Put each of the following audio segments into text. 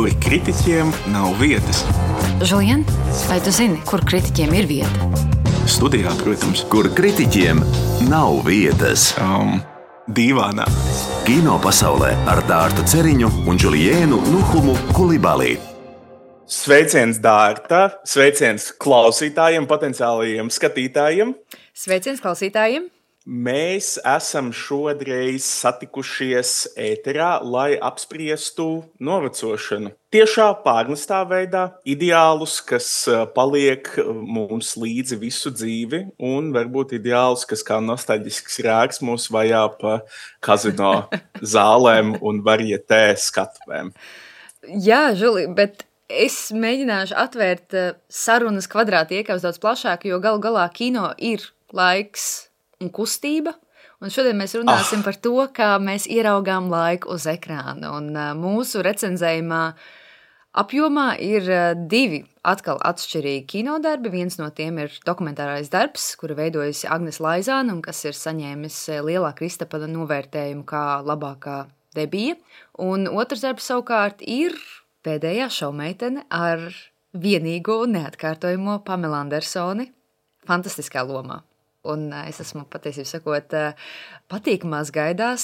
kur kritiķiem nav vietas. Žulien, vai tu zini, kur kritiķiem ir vieta? Studijā, protams. Kur kritiķiem nav vietas. Dīvānā. Kino pasaulē ar Dārtu Ceriņu un Džuliēnu Nuhumu Kulibalī. Sveiciens Dārta, sveiciens klausītājiem, potenciālajiem skatītājiem. Sveiciens klausītājiem. Mēs esam šodreiz satikušies ēterā, lai apspriestu novecošanu. Tiešā pārnestā veidā ideālus, kas paliek mums līdzi visu dzīvi, un varbūt ideālus, kas kā nostalģisks rēks mūs vajā pa kazino zālēm un varietē skatuvēm. Jā, Žuli, bet es mēģināšu atvērt sarunas kvadrāti iekavas daudz plašāk, jo galu galā kino ir laiks un kustība, un šodien mēs runāsim par to, kā mēs ieraugām laiku uz ekrāna, un mūsu recenzējumā apjomā ir divi atkal atšķirīgi kinodarbi. Viens no tiem ir dokumentārais darbs, kuru veidojusi Agnes Laizāne, un kas ir saņēmis lielā Kristapa novērtējumu kā labākā debija, un otrs darbs savukārt ir Pēdējā šaumeitene ar vienīgo un neatkārtojamo Pamelu Andersoni fantastiskā lomā. Un es esmu patiesībā sakot patīkamās gaidās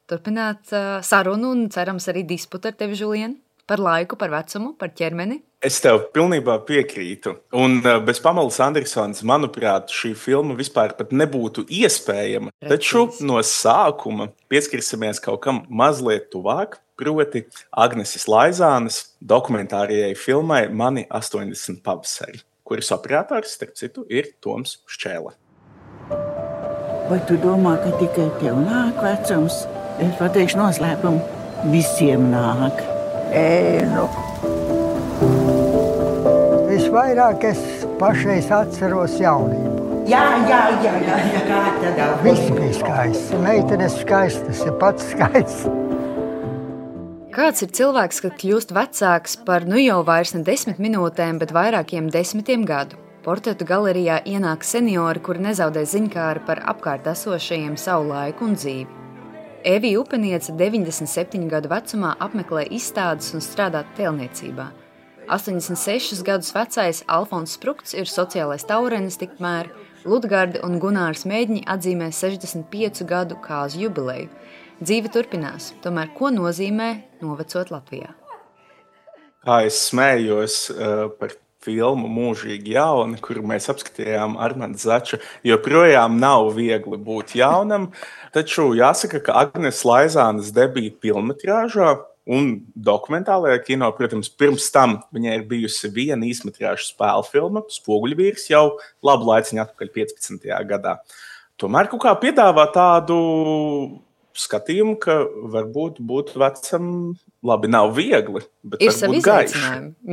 turpināt sarunu un cerams arī disputu ar tevi, Žulien, par laiku, par vecumu, par ķermeni. Es tev pilnībā piekrītu. Un bez Pamelas Andersonas, manuprāt, šī filma vispār pat nebūtu iespējama. Taču no sākuma pieskarsimies kaut kam mazliet tuvāk, proti Agneses Laizānes dokumentārajai filmai Mani 80 pavasari, kuras operators, starp citu, ir Toms Šķēle. Vai tu domā, ka tikai tev nāk vecums? Es pateikšu noslēpumu. Visiem nāk. Visvairāk es pašreiz atceros jaunību. Jā, kā tādā. Viss bija skaists. Meitenes skaistas, ir pats skaists. Kāds ir cilvēks, kad kļūst vecāks par jau vairs ne 10 minūtēm, bet vairākiem 10 gadu? Portretu galerijā ienāk seniori, kuri nezaudē ziņkāri par apkārt esošajiem savu laiku un dzīvi. Evija Upeniece 97 gadu vecumā apmeklē izstādes un strādā tēlniecībā. 86 gadus vecais Alfons Sprukts ir sociālais taurenis, tikmēr Ludgarde un Gunārs Mēģņi atzīmē 65 gadu kāzu jubileju. Dzīve turpinās, tomēr ko nozīmē novecot Latvijā? Kā es smējos par filmu Mūžīgi jauni, kuru mēs apskatījām Armanda Zača, joprojām nav viegli būt jaunam, taču jāsaka, ka Agnes Laizānes debija filmetrāžā un dokumentālajā kino, protams, pirms tam viņai ir bijusi viena īsmetrāžu spēļu filma, Spoguļvīrs, jau labu laiciņu atpakaļ 15. gadā. Tomēr kaut kā piedāvā tādu skatījumu, ka varbūt būt vecam labi nav viegli, bet ir varbūt gaiši.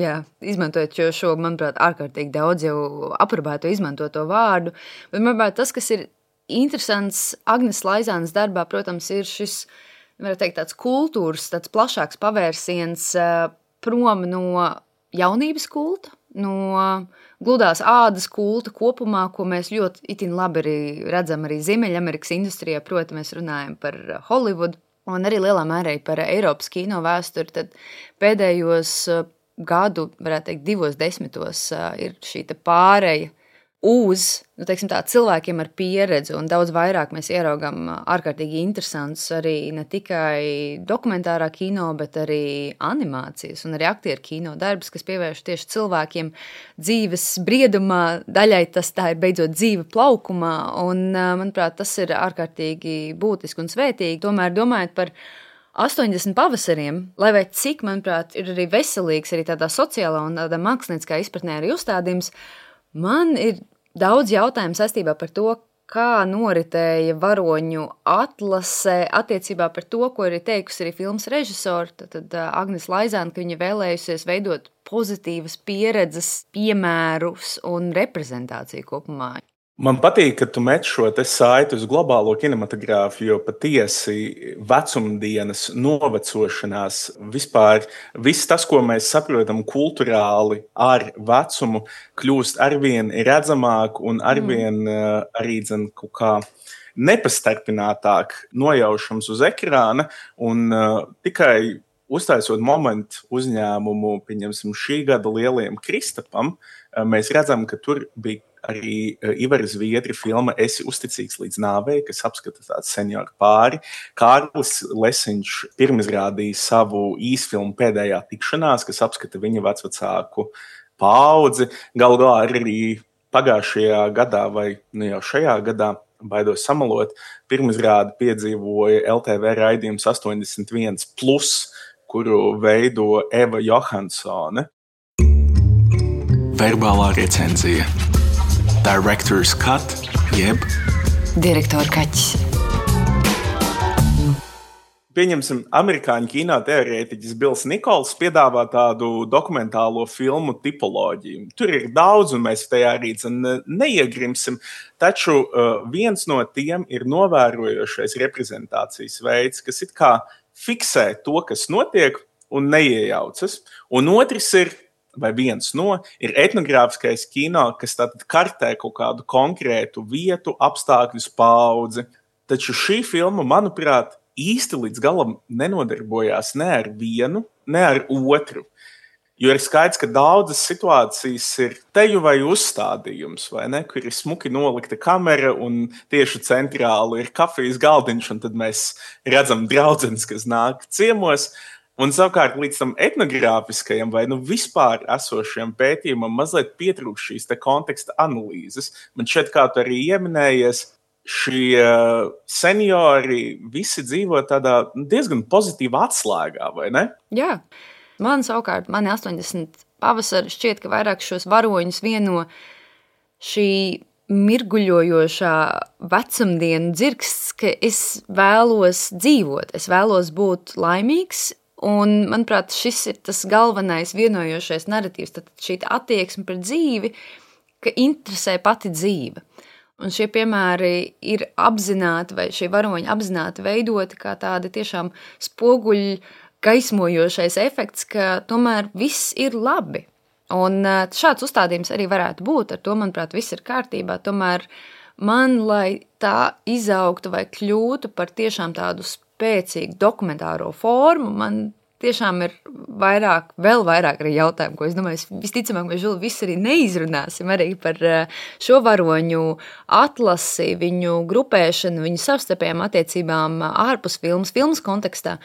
Jā, izmantojot šo, manuprāt, ārkārtīgi daudz jau aprobēto izmantoto vārdu, bet, manuprāt, tas, kas ir interesants Agnes Laizānes darbā, protams, ir šis, varētu teikt, tāds kultūras, tāds plašāks pavērsiens prom no jaunības kulta, no gludās ādas kulta kopumā, ko mēs ļoti itin labi arī redzam arī Ziemeļamerikas industrijā, proti mēs runājam par Holivudu un arī lielā mērā par Eiropas kino vēsturi, tad pēdējos gadu, varētu teikt, 20 ir šī pāreja uz, teiksim tā, cilvēkiem ar pieredzi, un daudz vairāk mēs ieraugam ārkārtīgi interesants arī ne tikai dokumentārā kino, bet arī animācijas un arī aktieru kino darbs, kas pievērš tieši cilvēkiem dzīves briedumā, daļai tas tā ir beidzot dzīve plaukumā, un, manuprāt, tas ir ārkārtīgi būtiski un svētīgi. Tomēr domājot par 80 pavasariem, lai vai cik, manuprāt, ir arī veselīgs, arī tādā sociālā un tādā mākslinieckā izpratnē arī uzstādījums, man ir daudz jautājumu saistībā par to, kā noritēja varoņu atlase attiecībā par to, ko arī teikusi arī filmas režisori, tad Agnes Laizāne, ka viņa vēlējusies veidot pozitīvas pieredzes, piemērus un reprezentāciju kopumā. Man patīk, ka tu met šo te saiti uz globālo kinematogrāfiju, jo patiesi vecumdienas, novecošanās, vispār viss tas, ko mēs saprotam kulturāli ar vecumu, kļūst arvien redzamāk un arvien arī kaut kā nepastarpinātāk nojaušams uz ekrāna, un tikai uztaisot momentu uzņēmumu, pieņemsim, šī gada lielajam Kristapam, mēs redzam, ka tur bija arī Ivara Zviedri filma Esi uzticīgs līdz nāvei, kas apskata tādu senioru pāri. Kārlis Lesiņš pirmizrādīja savu īsfilmu Pēdējā tikšanās, kas apskata viņa vecvecāku paudzi. Galu galā arī pagājušajā gadā vai jau šajā gadā, baidos samalot, pirmizrādi piedzīvoja LTV raidījums 81+, kuru veido Eva Johansone. Verbālā recenzija. Director's cut, jeb Direktora kaķis. Pieņemsim, amerikāņu kinoteorētiķis Bills Nikols piedāvā tādu dokumentālo filmu tipoloģiju. Tur ir daudz, un mēs tajā arī neiegrimsim, taču viens no tiem ir novērojošais reprezentācijas veids, kas it kā fiksē to, kas notiek, un neiejaucas. Un otrs ir, vai viens no, ir etnogrāfiskais kino, kas tātad kartē kaut kādu konkrētu vietu, apstākļus, paudzi. Taču šī filma, manuprāt, īsti līdz galam nenodarbojās ne ar vienu, ne ar otru. Jo ir skaidrs, ka daudzas situācijas ir teju vai uzstādījums, vai ne, kur ir smuki nolikta kamera un tieši centrāli ir kafijas galdiņš, un tad mēs redzam draudzenes, kas nāk ciemos. Un savukārt līdz tam etnogrāfiskajam vai vispār esošajam pētījumam mazliet pietrūkst šīs te konteksta analīzes. Man šķiet, kā tu arī ieminējies, šie seniori visi dzīvo tādā diezgan pozitīvā atslēgā, vai ne? Jā. Mani 80 pavasari šķiet, ka vairāk šos varoņus vieno šī mirguļojošā vecumdienu dzirksts, ka es vēlos dzīvot, es vēlos būt laimīgs. Un, manuprāt, šis ir tas galvenais vienojošais naratīvs, tad šī attieksme pret dzīvi, ka interesē pati dzīve. Un šie piemēri ir apzināti, vai šie varoņi apzināti veidoti kā tādi tiešām spoguļi gaismojošais efekts, ka tomēr viss ir labi. Un šāds uzstādījums arī varētu būt, ar to, manuprāt, viss ir kārtībā, tomēr man, lai tā izaugtu vai kļūtu par tiešām tādu spēcīgu dokumentāro formu, man tiešām ir vēl vairāk arī jautājumu, ko es domāju, visticamāk, mēs Žuli visu arī neizrunāsim arī par šo varoņu atlasi, viņu grupēšanu, viņu savstarpējām attiecībām ārpus filmas kontekstā.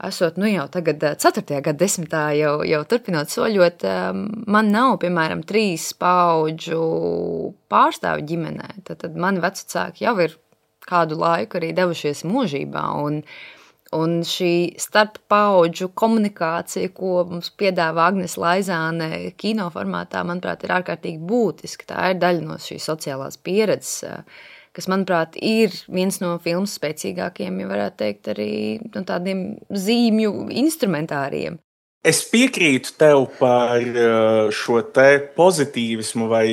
Esot, jau tagad 4. gadsimtā jau turpinot soļot, man nav, piemēram, 3 paudžu pārstāvju ģimenē. Tad mani vecvecāki jau ir kādu laiku arī devušies mūžībā, un šī starp paudžu komunikācija, ko mums piedāvā Agnes Laizāne kino formātā, manuprāt, ir ārkārtīgi būtiska. Tā ir daļa no šīs sociālās pieredzes, kas, manuprāt, ir viens no filmas spēcīgākiem, ja varētu teikt, arī no tādiem zīmju instrumentāriem. Es piekrītu tev par šo te pozitīvismu vai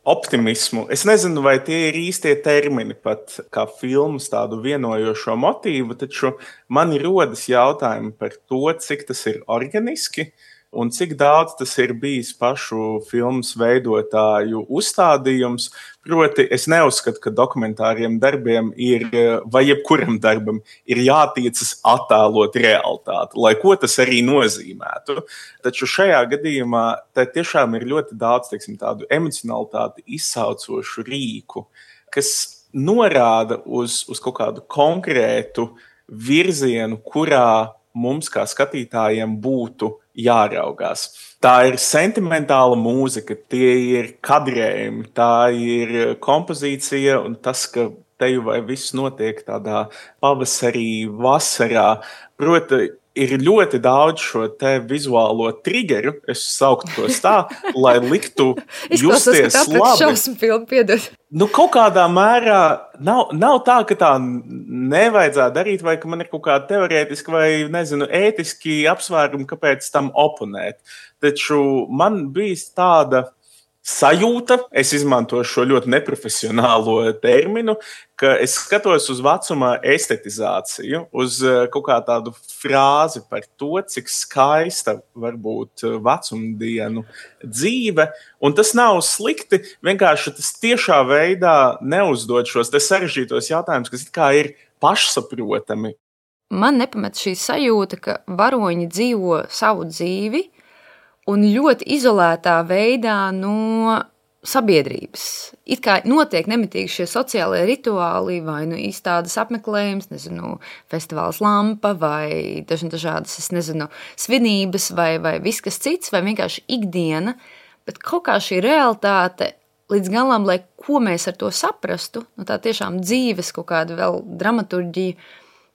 optimismu. Es nezinu, vai tie ir īstie termini pat kā filmas tādu vienojošo motīvu, taču man rodas jautājumi par to, cik tas ir organiski un cik daudz tas ir bijis pašu filmas veidotāju uzstādījums. Proti, es neuzskatu, ka dokumentāriem darbiem ir, vai jebkuram darbam, ir jātiecas attēlot realitāti, lai ko tas arī nozīmētu. Taču šajā gadījumā te tiešām ir ļoti daudz, tādu emocionalitāti izsaucošu rīku, kas norāda uz kaut kādu konkrētu virzienu, kurā mums kā skatītājiem būtu jāraugās. Tā ir sentimentāla mūzika, tie ir kadrējumi, tā ir kompozīcija un tas, ka teju vai viss notiek tādā pavasarī, vasarā. Proti, ir ļoti daudz šo te vizuālo triggeru, es sauktu tos tā, lai liktu justies labi. Šausmu filmu, piedod. Kaut kādā mērā nav tā, ka tā nevajadzētu darīt, vai ka man ir kaut kāda teorētiski vai, ētiski apsvērumi, kāpēc tam oponēt. Taču man bija tāda sajūta, es izmantoju šo ļoti neprofesionālo terminu, ka es skatos uz vecuma estetizāciju, uz kaut kā tādu frāzi par to, cik skaista var būt vecumdienu dzīve, un tas nav slikti, vienkārši tas tiešā veidā neuzdod šos te sarežģītos jautājumus, kas it kā ir pašsaprotami. man nepamet šī sajūta, ka varoņi dzīvo savu dzīvi un ļoti izolētā veidā no sabiedrības. It kā notiek nemitīgi šie sociālie rituāli vai izstādes apmeklējums, festivāls Lampa vai dažādas, svinības vai viss kas cits, vai vienkārši ikdiena, bet kaut kā šī realitāte līdz galam, lai ko mēs ar to saprastu, tā tiešām dzīves kaut kāda vēl dramaturģija,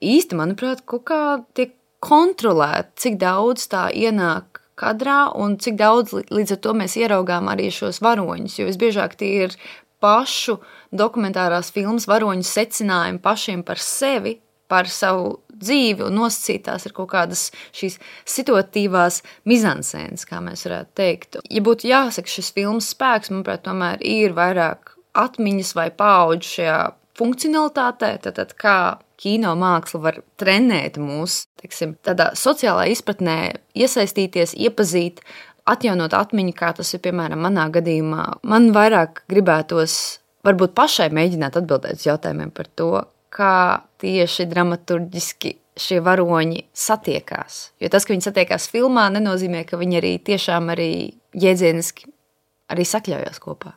īsti, manuprāt, kaut kā tiek kontrolēta, cik daudz tā ienāk kadrā un cik daudz līdz ar to mēs ieraugām arī šos varoņus, jo visbiežāk tie ir pašu dokumentārās filmas varoņu secinājumi pašiem par sevi, par savu dzīvi un nosacītās ir kaut kādas šīs situatīvās mizansēnas, kā mēs varētu teikt. Ja būtu jāsaka šis filmas spēks, manuprāt, tomēr ir vairāk atmiņas vai paudžu šajā funkcionalitātē, tad kā kino māksla var trenēt mūs, tādā sociālā izpratnē iesaistīties, iepazīt, atjaunot atmiņu, kā tas ir, piemēram, manā gadījumā. Man vairāk gribētos varbūt pašai mēģināt atbildēt uz jautājumiem par to, kā tieši dramaturģiski šie varoņi satiekās. Jo tas, ka viņi satiekās filmā, nenozīmē, ka viņi arī tiešām arī jēdzieniski arī sakļaujās kopā.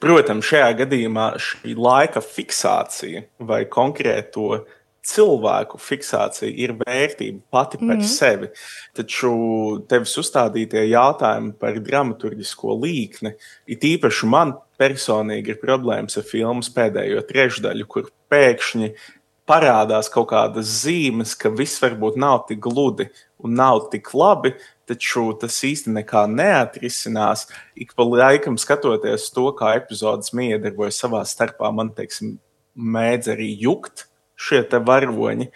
Protams, šajā gadījumā šī laika fiksācija vai konkrēto cilvēku fiksācija ir vērtība pati par sevi. Taču tevis uzstādītie jautājumi par dramaturģisko līkni, it īpaši man personīgi ir problēmas ar filmas pēdējo trešdaļu, kur pēkšņi parādās kaut kādas zīmes, ka viss varbūt nav tik gludi un nav tik labi, taču tas īsti nekā neatrisinās. Ik pa laikam skatoties to, kā epizodes miedarbojas savā starpā, man, mēdz arī jukt šie te varoņi.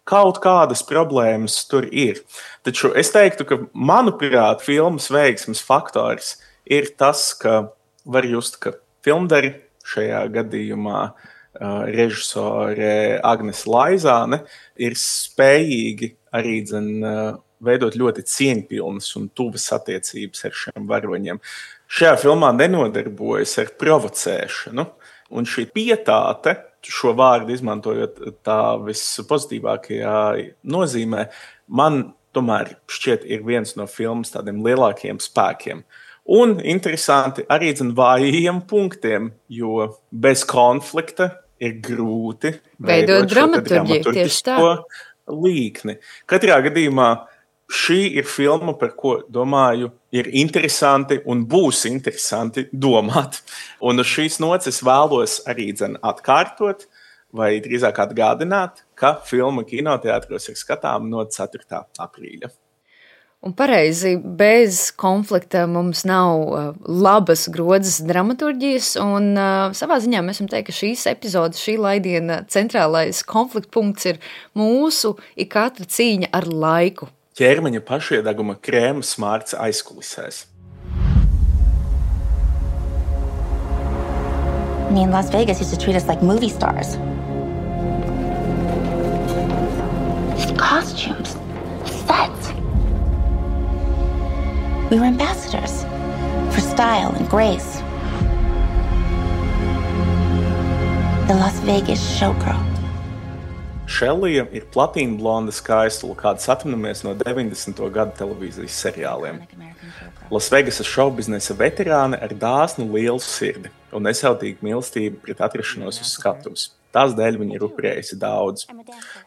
Kaut kādas problēmas tur ir. Taču es teiktu, ka, manuprāt, filmas veiksmes faktors ir tas, ka var just, ka filmdari šajā gadījumā režisore Agnese Laizāne ir spējīgi arī veidot ļoti cieņpilnas un tuvas attiecības ar šiem varoņiem. Šajā filmā nenodarbojas ar provocēšanu, un šī pietāte, šo vārdu izmantojot tā vispozitīvākajā nozīmē, man tomēr šķiet ir viens no filmas tādiem lielākiem spēkiem. Un interesanti arī vājiem punktiem, jo bez konflikta ir grūti veidot dramaturģisko līkni. Katrā gadījumā šī ir filma, par ko, domāju, ir interesanti un būs interesanti domāt. Un uz šīs nots vēlos arī atkārtot vai drīzāk atgādināt, ka filma kinoteātros ir skatāma no 4. aprīļa. Un pareizi, bez konflikta mums nav labas grodzes dramaturģijas, un savā ziņā mēs varam teikt, ka šīs epizodes, šī laidiena centrālais konflikta punkts ir mūsu ikatra cīņa ar laiku. Ķermeņa pašiedeguma krēma smārds aizkulisēs. I mean, Las Vegas used to treat us like movie stars. Costumes, sets. We were ambassadors for style and grace. The Las Vegas showgirl. Šellija ir platīna blonda skaistula, kādas atminamies no 90. gadu televīzijas seriāliem. Lasvegasas šovbiznesa veterāne ar dāsnu lielu sirdi un nesautīgu mīlestību pret atrašanos uz skatuves. Tās dēļ viņa ir upurējusi daudz.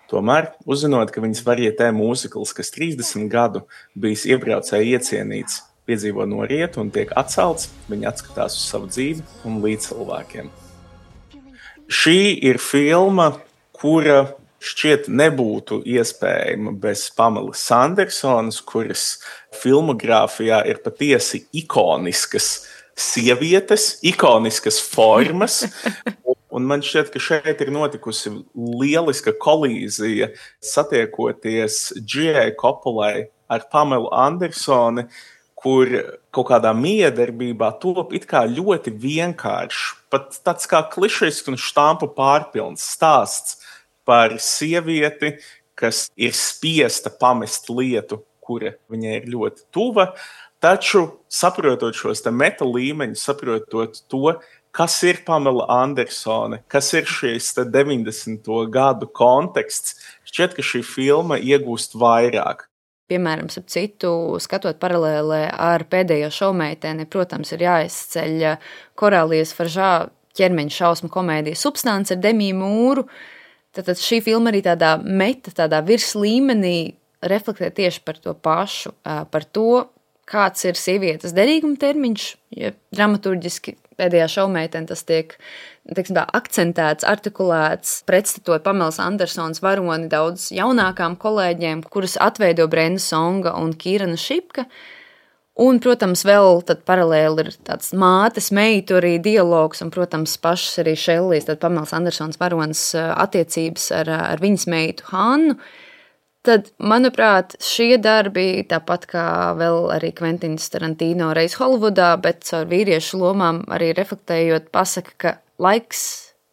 Tomēr, uzzinot, ka viņas varietē mūzikls, kas 30 gadu bijis iebraucēji iecienīts, piedzīvo norietu un tiek atcelts, viņa atskatās uz savu dzīvi un līdzcilvēkiem. Šī ir filma, kura šķiet nebūtu iespējama bez Pamelas Andersonas, kuras filmogrāfijā ir patiesi ikoniskas sievietes, ikoniskas formas. Un man šķiet, ka šeit ir notikusi lieliska kolīzija satiekoties G.A. Coppolai ar Pamelu Andersoni, kur kaut kādā miedarbībā top it kā ļoti vienkāršs, pat tāds kā klišejs un štampu pārpilns stāsts par sievieti, kas ir spiesta pamest lietu, kura viņai ir ļoti tuva, taču saprotot šos te meta līmeņus, saprotot to, kas ir Pamela Andersone, kas ir šis 90. gadu konteksts. Šķiet, ka šī filma iegūst vairāk. Piemēram, ap citu, skatot paralēlē ar Pēdējo šovmeiteni, protams, ir jāizceļ Korālijas Faržā ķermeņa šausmu komēdija Substance ar Demiju Mūru. Tātad šī filma arī tādā virs līmenī reflektē tieši par to pašu, par to, kāds ir sievietes derīguma termiņš, ja dramaturģiski Pēdējā šovmeitene tas tiek akcentēts, artikulēts, pretstatot Pamelas Andersonas varoni daudz jaunākām kolēģiem, kuras atveido Brenda Songa un Kīrana Šipka. Un, protams, vēl tad paralēli ir tāds mātes meitu arī dialogs, un, protams, pašas arī Šellijas, tad Pamelas Andersonas varonas attiecības ar viņas meitu Hannu. Tad, manuprāt, šie darbi, tāpat kā vēl arī Kventins Tarantino reiz Holivudā, bet caur vīriešu lomām arī reflektējot, pasaka, ka laiks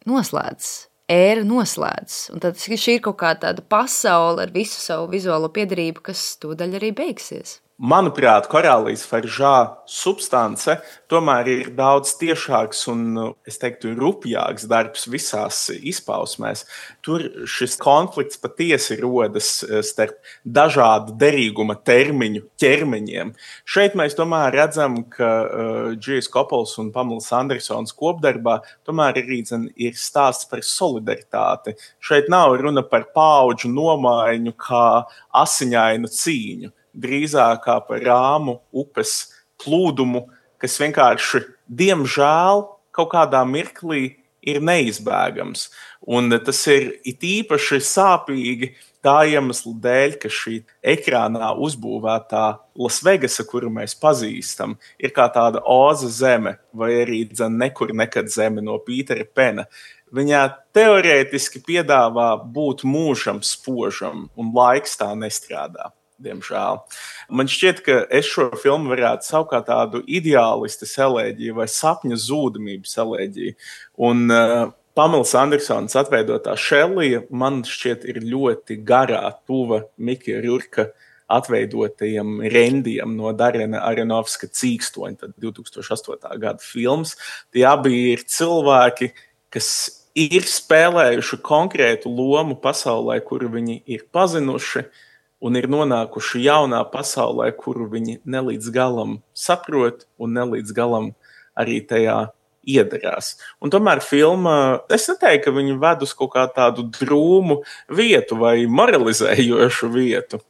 noslēdz, ēra noslēdz. Un tad šī ir kaut kā tāda pasaule ar visu savu vizuālo piedarību, kas tūdaļ arī beigsies. Manuprāt, Korālijas Faržā Substance tomēr ir daudz tiešāks un, es teiktu, rupjāks darbs visās izpausmēs. Tur šis konflikts patiesi rodas starp dažādu derīguma termiņu ķermeņiem. Šeit mēs tomēr redzam, ka Džijas Kopols un Pamelas Andersonas kopdarbā tomēr arī ir stāsts par solidaritāti. Šeit nav runa par paudžu nomaiņu kā asiņainu cīņu. Drīzāk kā par rāmu upes plūdumu, kas vienkārši, diemžēl, kaut kādā mirklī ir neizbēgams. Un tas ir it īpaši sāpīgi tā iemesla dēļ, ka šī ekrānā uzbūvētā Lasvegasa, kuru mēs pazīstam, ir kā tāda Oza zeme, vai arī nekur nekad zeme no Pītera Pena. Viņā teorētiski piedāvā būt mūžam spožam, un laiks tā nestrādā. Diemžēl. Man šķiet, ka es šo filmu varētu saukt kā tādu ideālistes elēģiju vai sapņa zūdamības elēģiju. Un Pamelas Andersonas atveidotā Šellija man šķiet ir ļoti garā, tuva Mikija Rurka atveidotajiem rendiem no Darena Aronovska Cīkstoņa, tad 2008. gada filmas. Tie abi ir cilvēki, kas ir spēlējuši konkrētu lomu pasaulē, kuru viņi ir pazinuši, un ir nonākuši jaunā pasaulē, kuru viņi nelīdz galam saprot un nelīdz galam arī tajā iedarās. Un tomēr filma, es neteiktu, ka viņi ved uz kaut kā tādu drūmu vietu vai moralizējošu vietu.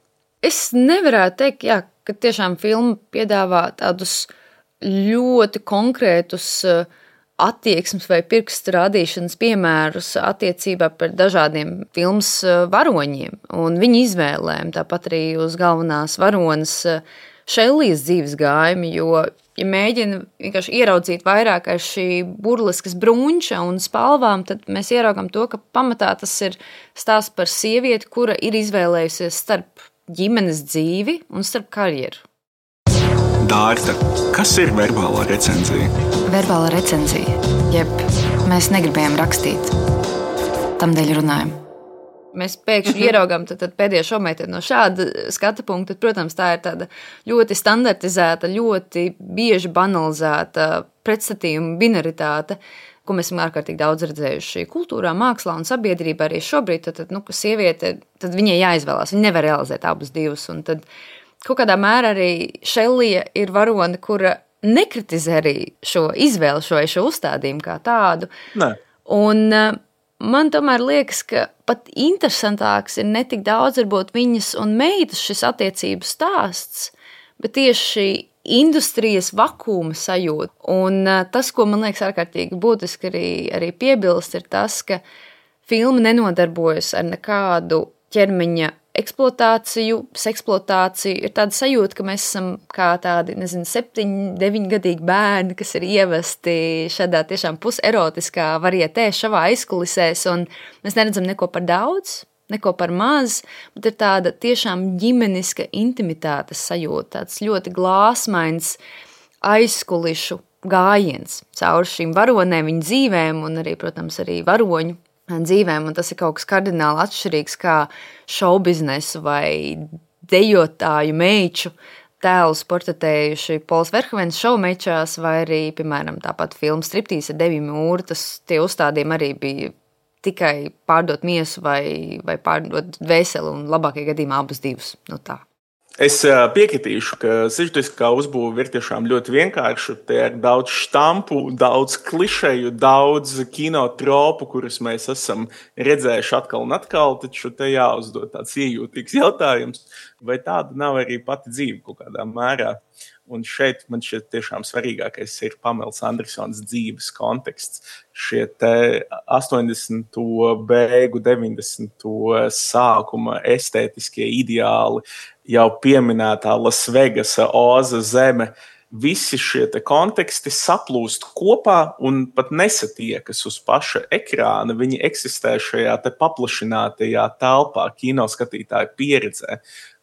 Es nevarētu teikt, ka tiešām filma piedāvā tādus ļoti konkrētus attieksmes vai pirkstu rādīšanas piemērus attiecībā par dažādiem filmas varoņiem un viņu izvēlēm, tāpat arī uz galvenās varonas Šellijas dzīves gājumu, jo, ja mēģina vienkārši ieraudzīt vairāk ar šī burleskas brunča un spalvām, tad mēs ieraugam to, ka pamatā tas ir stāsts par sievieti, kura ir izvēlējusies starp ģimenes dzīvi un starp karjeru. Dārta, kas ir verbālā recenzija? Verbālā recenzija, jeb mēs negribējām rakstīt, tamdēļ runājam. Mēs pēkšņi ieraugām tad Pēdējo šovmeiteni no šāda skata punkta, tad, protams, tā ir tāda ļoti standartizēta, ļoti bieži banalizēta pretstatījuma binaritāte, ko mēs esam ārkārtīgi daudz redzējuši kultūrā, mākslā un sabiedrībā arī šobrīd, tad ka sieviete, tad viņai jāizvēlās, viņa nevar realizēt abus divus, un tad kaut kādā mērā arī Šellija ir varone, kura nekritizē arī šo izvēli, šo uzstādījumu kā tādu. Ne. Un man tomēr liekas, ka pat interesantāks ir ne tik daudz varbūt viņas un meitas šis attiecību stāsts, bet tieši industrijas vakuma sajūta. Un tas, ko man liekas ārkārtīgi būtiski arī piebilst, ir tas, ka filma nenodarbojas ar nekādu ķermeņa eksploatāciju, seksploatāciju. Ir tāda sajūta, ka mēs esam kā tādi, 7-9 gadīgi bērni, kas ir ievesti šādā tiešām puserotiskā varietē šavā aizkulisēs, un mēs neredzam neko par daudz, neko par maz, bet ir tāda tiešām ģimeniska intimitātes sajūta, tāds ļoti glāsmains aizkulišu gājiens caur šīm varonēm, viņu dzīvēm un arī, protams, arī varoņu dzīvēm, un tas ir kaut kas kardināli atšķirīgs kā šoubiznesu vai dejotāju meiču tēlus portretējuši Pols Verhovens šaumečās, vai arī, piemēram, tāpat filma Striptīs ar Deviju Mūru, tie uzstādījumi arī bija tikai pārdot miesu vai pārdot dvēseli, un labākajā gadījumā abus divus. Tā. Es piekritīšu, ka sižetiskā uzbūve ir tiešām ļoti vienkārša. Te ir daudz štampu, daudz klišeju, daudz kinotropu, kurus mēs esam redzējuši atkal un atkal, taču te jāuzdod tāds iejūtīgs jautājums, vai tāda nav arī pati dzīve kaut kādā mērā. Un šeit man šķiet tiešām svarīgākais ir Pamelas Andersonas dzīves konteksts. Šie te 80. beigu, 90. sākuma estētiskie ideāli, jau pieminētā Las Vegasa, Oza zeme, visi šie te konteksti saplūst kopā un pat nesatiekas uz paša ekrāna. Viņi eksistē šajā te paplašinātajā telpā, kinoskatītāja pieredzē,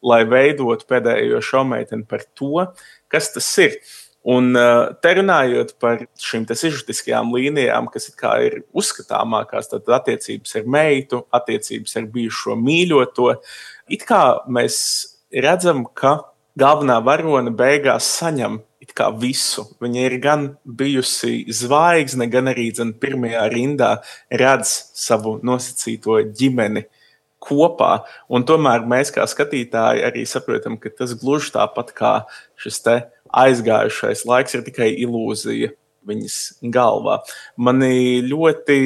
lai veidotu pēdējo šaumeiteni par to, kas tas ir. Un te runājot par šīm te sižetiskajām līnijām, kas it kā ir uzskatāmākās, tad attiecības ar meitu, attiecības ar bijušo mīļoto, it kā mēs redzam, ka galvenā varone beigās saņem it kā visu. Viņa ir gan bijusi zvaigzne, gan arī pirmajā rindā redz savu nosacīto ģimeni kopā, un tomēr mēs kā skatītāji arī saprotam, ka tas gluži tāpat kā šis te aizgājušais laiks ir tikai ilūzija viņas galvā. Mani ļoti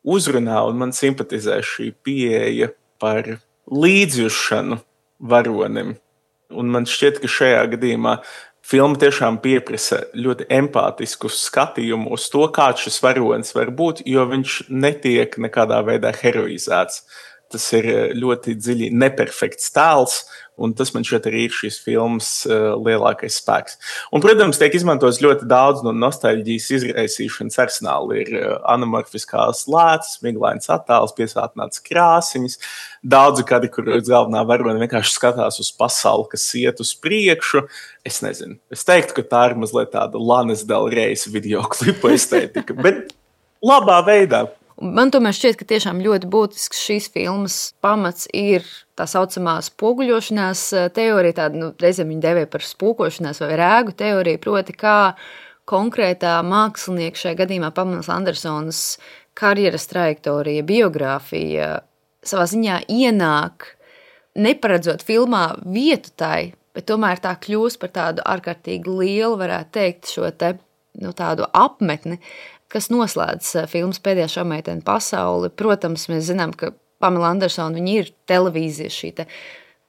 uzrunā un man simpatizē šī pieeja par līdzjušanu varonim. Un man šķiet, ka šajā gadījumā filma tiešām pieprasa ļoti empātisku skatījumu uz to, kāds šis varonis var būt, jo viņš netiek nekādā veidā heroizēts. Tas ir ļoti dziļi neperfekts tēls, un tas man šķiet arī ir šīs filmas lielākais spēks. Un, protams, tiek izmantots ļoti daudz no nostalģijas izraisīšanas arsenāla. Ir anamorfiskās lētas, miglains attēls, piesātināts krāsiņas, daudzi kādi, kur galvenā varone vienkārši skatās uz pasauli, kas iet uz priekšu. Es nezinu, es teiktu, ka tā ir mazliet tāda Lanas Del Reis videoklipa estētika, bet labā veidā. Man tomēr šķiet, ka tiešām ļoti būtisks šīs filmas pamats ir tā saucamā spoguļošanās teorija, tāda, reizēm viņa dēvē par spūkošanās vai rēgu teoriju, proti kā konkrētā mākslinieka, šajā gadījumā Pamelas Andersonas karjeras trajektorija, biogrāfija savā ziņā ienāk, neparedzot filmā vietu tai, bet tomēr tā kļūst par tādu ārkārtīgi lielu, varētu teikt, šo te, tādu apmetni, kas noslēdz filmas Pēdējā šaumeitene pasauli. Protams, mēs zinām, ka Pamela Andersona viņa ir televīzija, šī te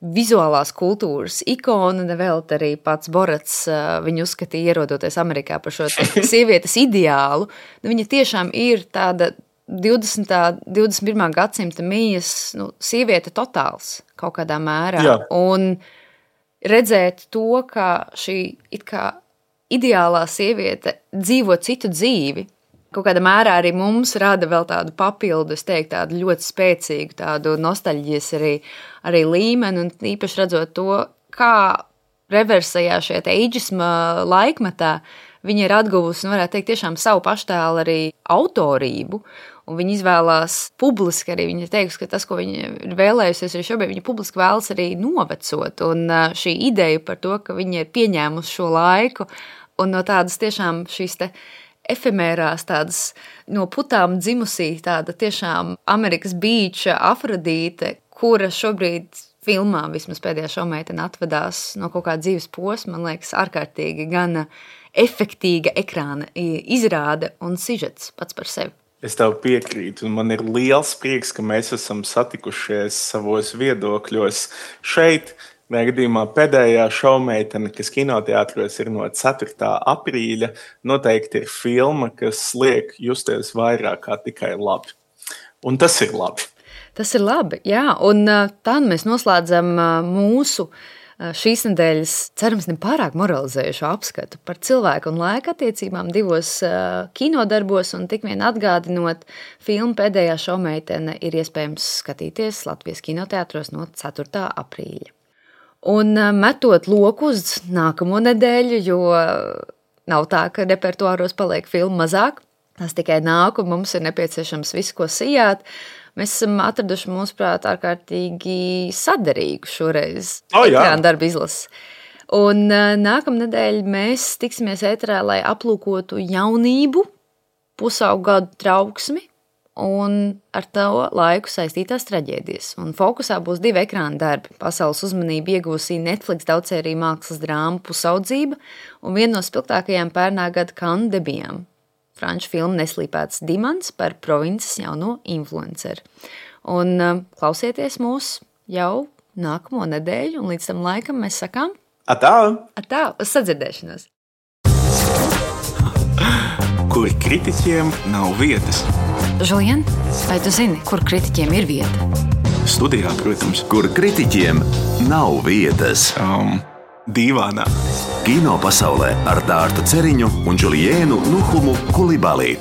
vizuālās kultūras ikona, vēl arī pats Borats viņu uzskatīja, ierodoties Amerikā par šo sievietes ideālu. Viņa tiešām ir tāda 21. gadsimta mijas sieviete totāls kaut kādā mērā. Jā. Un redzēt to, ka šī it kā ideālā sieviete dzīvo citu dzīvi, kaut kādā mērā arī mums rada vēl tādu papildu, es teiktu, tādu ļoti spēcīgu, tādu nostalģijas arī līmeni, un īpaši redzot to, kā reversajā šajā eidžisma laikmetā viņa ir atguvusi, un varētu teikt, tiešām savu paštēlu arī autorību, un viņa izvēlās publiski arī, viņa teiks, ka tas, ko viņa ir vēlējusies arī šobrīd, viņa publiski vēlas arī novecot, un šī ideja par to, ka viņa ir pieņēmusi šo laiku, un no tādas tiešām šīs te efemērās, tādas no putām dzimusī, tāda tiešām Amerikas bīča Afrodīte, kura šobrīd filmā vismaz Pēdējā šaumeitene atvedās no kaut kāda dzīves posma, man liekas, ārkārtīgi gan efektīga ekrāna izrāde un sižets pats par sevi. Es tev piekrītu, un man ir liels prieks, ka mēs esam satikušies savos viedokļos šeit. Gadījumā Pēdējā šaumeitene, kas kinoteātros ir no 4. aprīļa, noteikti ir filma, kas liek justies vairāk kā tikai labi. Un tas ir labi. Tas ir labi, jā. Un tā mēs noslēdzam mūsu šīs nedēļas, cerams, nepārāk moralizējušo apskatu par cilvēku un laika attiecībām divos kinodarbos, un tik vien atgādinot, filmu Pēdējā šaumeitene ir iespējams skatīties Latvijas kinoteātros no 4. aprīļa. Un metot loku uz nākamo nedēļu, jo nav tā, ka repertuāros paliek filmu mazāk, tas tikai nāk un mums ir nepieciešams visu, ko sijāt. Mēs esam atraduši, mūsuprāt, ārkārtīgi saderīgu šoreiz ekrāna darba izlasi. Un nākamnedēļ mēs tiksimies ēterā, lai aplūkotu jaunību, pusaugu gadu trauksmi un ar to laiku saistītās traģēdijas. Un fokusā būs 2 ekrāna darbi. Pasaules uzmanību iegūsī Netflix daudzsēriju mākslas drāma Pusaudzība un viena no spilgtākajām pērnā gada Cannes debijām. Franču filma Neslīpēts dimants par provinces jauno influenceru. Un klausieties mūs jau nākamo nedēļu, un līdz tam laikam mēs sakām Atā! Atā, uz sadzirdēšanos! Kur kritiķiem nav vietas. Žulien, vai tu zini, kur kritiķiem ir vieta? Studijā, protams. Kur kritiķiem nav vietas. Dīvānā. Kino pasaulē ar Dārtu Ceriņu un Juliēnu Nuhumu Kulibalī.